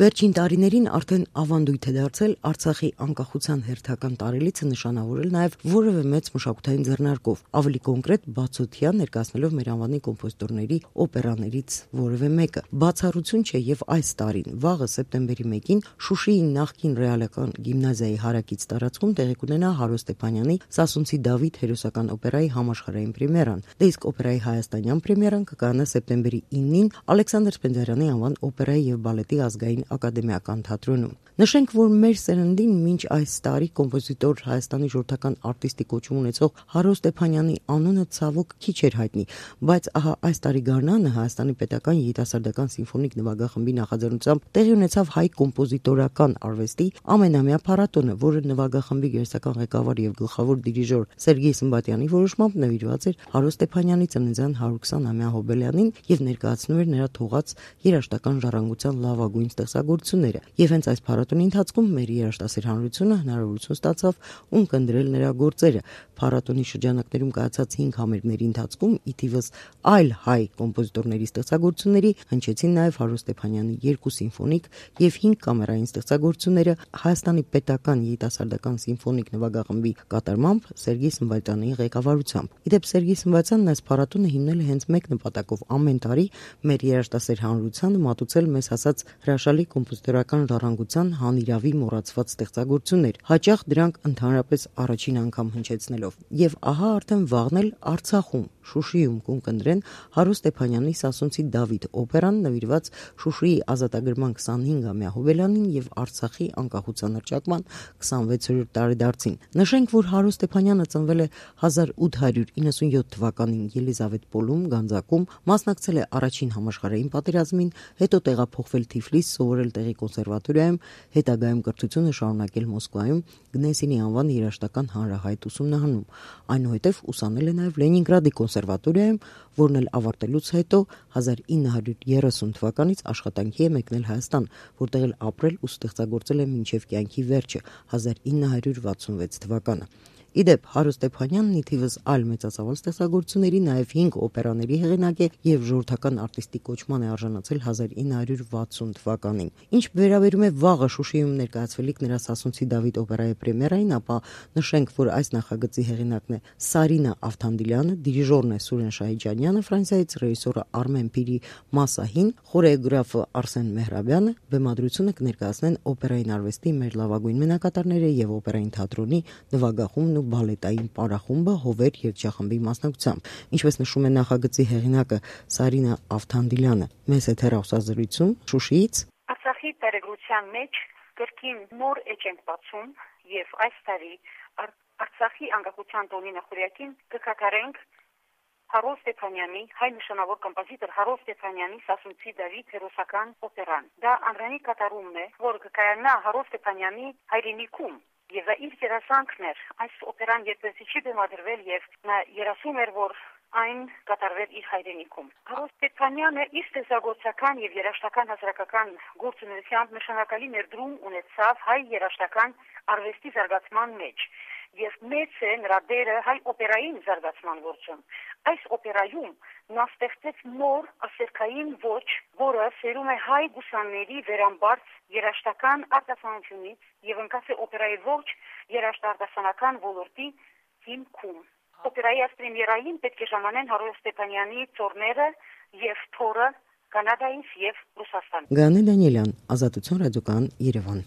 Վերջին տարիներին արդեն ավանդույթ է դարձել Արցախի անկախության հերթական տարելիցը նշանավորել նաև որևէ մեծ մշակութային ձեռնարկով, ավելի կոնկրետ բացօթյա ներկայացնելով մեր անվանի կոմպոզիտորների օպերաներից որևէ մեկը։ Բացառություն չէ եւ այս տարին, վաղը սեպտեմբերի 1-ին Շուշիի նախկին ռեալական գիմնազիայի հարակից տարածքում տեղի կունենա Հարո Ստեփանյանի Սասունցի Դավիթ հերոսական օպերայի համաշխարհային պրեմիերան։ Դե իսկ օպերայի հայաստանյան պրեմիերան կկայանա սեպտեմբերի 9-ին Ալեքսանդր Սպենդիարյանի անվան օպերայի եւ բալետի ազգային ակադեմիական թատրոնում։ Նշենք, որ մեր սերնդին մինչ այս տարի կոմպոզիտոր Հայաստանի ժողովրդական արտիստի կոչում ունեցող Հարո Ստեփանյանի անունը ցավոք քիչ էր հայտնի, բայց ահա այս տարի գարնանը Հայաստանի պետական երիտասարդական սիմֆոնիկ նվագախմբի նախաձեռնությամբ տեղի ունեցավ հայ կոմպոզիտորական արվեստի ամենամյա փառատոնը, որը նվագախմբի գերստական ղեկավար եւ գլխավոր դիրիժոր Սերգեյ Սմբատյանի որոշմամբ նվիրված էր Հարո Ստեփանյանի ծննդյան 120-ամյա հոբելյանին եւ ներկայացնում էր նրա թողած երաժշտական ժառանգության լավագույն ստեղծագործությունները։ Եվ հենց այս փառատոնի ընթացքում մեր երաժշտասեր հանրությունը հնարավորություն ստացավ ունկնդրել նրա գործերը։ Փառատոնի շրջանակներում կայացած 5 համերգների ընթացքում ի թիվս այլ հայ կոմպոզիտորների ստեղծագործությունների հնչեցին նաև Հարո Ստեփանյանի 2 սիմֆոնիկ եւ 5 կամերային ստեղծագործությունները Հայաստանի պետական երիտասարդական սիմֆոնիկ նվագախմբի կատարմամբ Սերգեյ Սմբատյանի ղեկավարությամբ։ Իդեպ Սերգեյ Սմբատյանն այս փառատոնը հիմնել է հենց մեկ նպատակով՝ ամեն տարի մեր երաժշտասեր հանրությանը մատուցել մեզ հասած հրաշալի կոմպոզիտորական ժառանգության հանիրավի մոռացված ստեղծագործություններ, հաճախ դրանք ընդհանրապես առաջին անգամ հնչեցնելով։ Եվ ահա արդեն վաղն էլ Արցախում, Շուշիում կընտրեն Հարո Ստեփանյանի Սասունցի Դավիթ օպերան նվիրված Շուշիի ազատագրման 25-ամյա հոբելյանին եւ Արցախի անկախության հռչակման 26-րդ տարեդարձին։ Նշենք, որ Հարո Ստեփանյանը ծնվել է 1897 թվականին Ելիզավետպոլում, Գանձակում, մասնակցել է առաջին համաշխարհային պատերազմին, հետո տեղափոխվել Թիֆլիս, սովորել տեղի կոնսերվատորիայում, հետագայում կրթությունը շարունակել Մոսկվայում Գնեսինի անվան երաժշտական հանրահայտ ուսումնարանում։ Այնուհետև ուսանել է նաև Լենինգրադի կոնսերվատորիայում, որն էլ ավարտելուց հետո 1930 թվականից աշխատանքի է մեկնել Հայաստան, որտեղ էլ ապրել ու ստեղծագործել է մինչև կյանքի վերջը 1966 թվականը։ Իդեպ Հարո Ստեփանյանն ի թիվս այլ մեծածավալ ստեղծագործությունների նաև 5 օպերաների հեղինակ է եւ ժողովրդական արտիստի կոչման է արժանացել 1960 թվականին։ Ինչ վերաբերում է վաղը Շուշիում ներկայացվելիք նրա Սասունցի Դավիթ օպերայի պրեմիերային, ապա նշենք, որ այս նախագծի հեղինակն է Սարինա Ավթանդիլյանը, դիրիժորն է Սուրեն Շահիջանյանը, Ֆրանսիայից ռեժիսորը Արմեն Փիրի Մասահին, խորեոգրաֆը Արսեն Մեհրաբյանը, բեմադրությունը կներկայացնեն օպերային արվեստի մեր լավագույն մենակատարները եւ օպերային թատրոնի նվագախումբն ու բալետային պարախումբը Հովեր երգչախմբի մասնակցությամբ։ Ինչպես նշում է նախագծի հեղինակը Սարինա Ավթանդիլյանը, մեծ հեռախոսազրույցում Շուշիից Արցախի տարեգրության մեջ կրկին նոր էջ ենք բացում եւ այս տարի Արցախի անկախության տոնի նախորյակին կկատարենք Հարո Ստեփանյանի, հայ նշանավոր կոմպոզիտոր Հարո Ստեփանյանի Սասունցի Դավիթ հերոսական օպերան։ Դա անրանի կատարումն է, որը կկայանա Հարո Ստեփանյանի հայրենիքում։ Եվ իր երազանքն էր այս օպերան երբևէ չի բեմադրվել եւ նա երազում էր, որ այն կատարվեր իր հայրենիքում։ Հարո Ստեփանյանը իր ստեղծագործական եւ երաժշտական հասարակական գործունեությամբ նշանակալի ներդրում ունեցավ հայ երաժշտական արվեստի զարգացման մեջ եւ մեծ է նրա դերը հայ օպերային զարգացման գործում։ Այս օպերայում նա ստեղծեց նոր ասերքային ոճ, որը սերում է հայ գուսանների վերամբարձ երաժշտական արտասանությունից եւ ընկած է օպերայի ողջ երաժշտարտասանական ոլորտի հիմքում։ Օպերայի պրեմիերային պետք է ժամանեն Հարո Ստեփանյանի ծորները եւ թորը Կանադայից եւ Ռուսաստանից։ Գանել Դանիելյան, Ազատություն ռադիոկայան, Երևան։